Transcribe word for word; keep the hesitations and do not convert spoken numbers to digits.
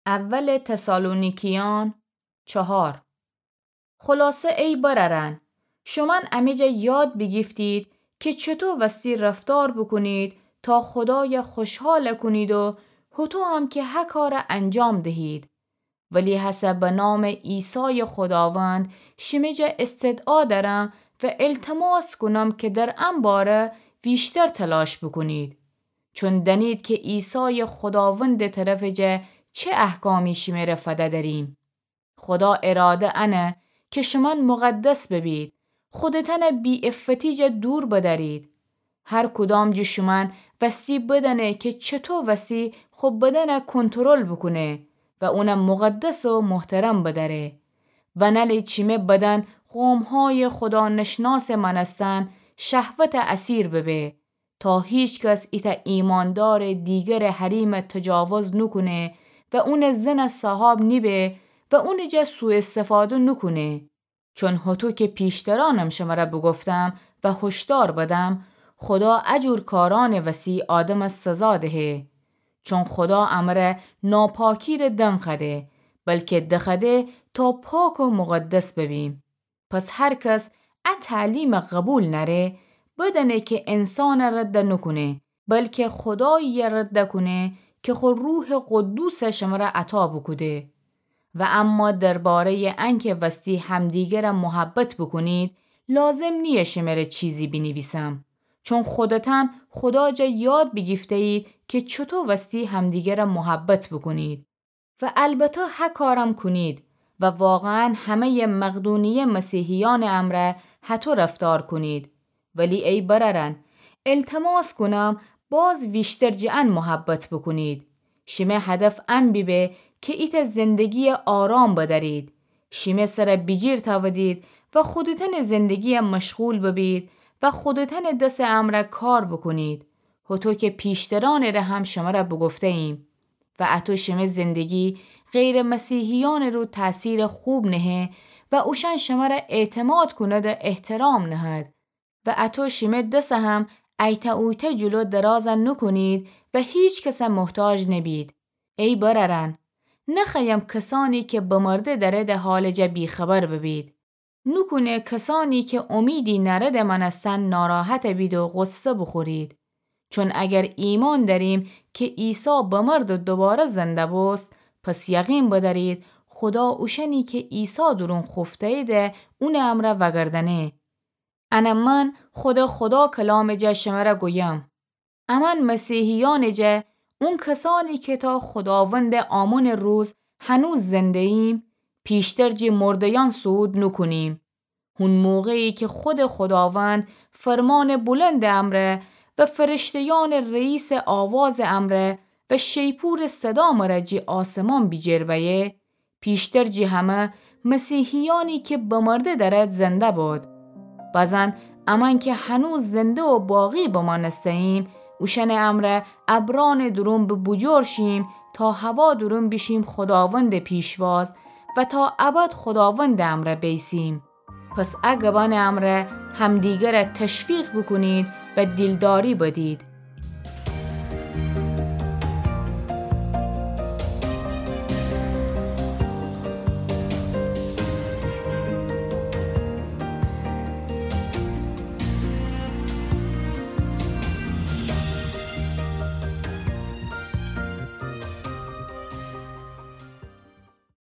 اول تسالونیکیان چهار. خلاصه ای برأرأن، شومأن امه جا یاد بیگیفتید کی چوطو وستی رفتار بوکونید تا خودای خوشحال کونید و هوطو هم کی هه کار انجام دهید. ولی هسه به نام عیسای خوداوند شیمه جا استدعا دأرم و التماس کونم کی در ان باره ویشتر تلاش بوکونید. چون دأنید کی عیسای خوداوندٚ طرفٚ جا چه احکامی شیمره فده دأریم. خودا اراده انه کی شومأن مقدس ببید، خودتأنه بی‌عفتی جا دور بدأرید. هر کدام جٚه شومأن وستی بدأنه کی چوطو وستی خو بدنه کنترل بوکونه و اونه مقدس و محترم بدأره. و نألید شیمه بدن قومهای خودا نشناسٚ مأنستن شهوتٚ اسیر ببه، تا هیکس ایتأ ایماندارٚ دیگرٚ حریمه تجاوز نوکونه و اونٚ زنه صاحاب نیبه و اونٚ جا سوءاستفاده نوکونه. چون هوطو کی پیشترأنم شمره بوگفتم و هشدار بدم، خودا ا جور کارأنٚ وسی آدمه سزا دهه. چون خودا امره ناپاکیره دنخوأده، بلکی دخوأده تا پاک و مقدس ببیم. پس هر کس ا تعلیمه قبول نأره، بدأنه کی انسانه رد نوکونه، بلکی خوداییه رد کونه کی خو روحٚ قدوسه شمره عطا بوکوده. و اما درباره‌یٚ انکی وستی همدیگره محبت بوکونید، لازم نییه شمره چیزی بینیویسم. چون خودتأن خودا جا یاد بیگیفته‌یید کی چوطو وستی همدیگره محبت بوکونید. و البته هه کارم کونید و واقعاً همه‌یٚ مقدونیه مسیحیأنٚ امرأ هطو رفتار کونید. ولی ای برأرأن، التماس کونم باز ویشتر جٚه ان محبت بوکونید. شیمه هدف ان بیبه کی ایتأ زندگییٚ آرام بدأرید. شیمه سره بیجیر تأودید و خودتأنٚ زندگییٚ مشغول ببید و خودتأنٚ دسٚ امرأ کار بوکونید. هوطو کی پیشترأنٚ ره هم شمره بوگفته‌ییم. و اطو شیمه زندگی غیرٚ مسیحیأنٚ رو تأثیرٚ خوب نهه و اوشأن شمره اعتماد کونده احترام نهد. و اطو شیمه دسه هم ایتأ اویتأ جلو دراز نوکونید و هیکسه محتاج نبید. ای برأرأن، نخوأیم کسأنی کی بمرده دأرده حالٚ جا بی‌خبر ببید. نوکونه کسأنی کی امیدی نأردٚ مأنستن ناراحت بید و غصه بوخورید. چون اگر ایمأن دأریم کی عیسی بمرد و دوباره زنده بوست، پس یقین بدأرید خودا اوشأنی کی عیسی دورون خوفته‌ییده اونٚ امرأ وأگردأنه. انه من خودٚ خودا کلامٚ جا شمره گویم. امأن مسیحیأنٚ جا اون کسأنی کی تا خوداوندٚ آمونٚ روز هنوز زنده‌ییم، پیشتر جٚه مرده‌یأن صعود نوکونیم. هون موقعی کی خودٚ خوداوند فرمانٚ بلندٚ امرأ و فرشته‌یأنٚ رئیسٚ آوازٚ امرأ و شیپورٚ صدا مره جٚه آسمان بیجیر بأیه، پیشتر جٚه همه مسیحیأنی کی بمرده دأرد زنده باد. بزن امأن کی هنوز زنده و باقی بمأنسته‌ییم، اوشأنٚ امرأ ابرأنٚ دورون به بوجور شیم تا هوا دورون بیشیم خوداوندٚ پیشواز و تا ابد خوداوندٚ امرأ بیسیم. پس ا گبأنٚ امرأ همدیگره تشویق بوکونید و دیلداری بدید.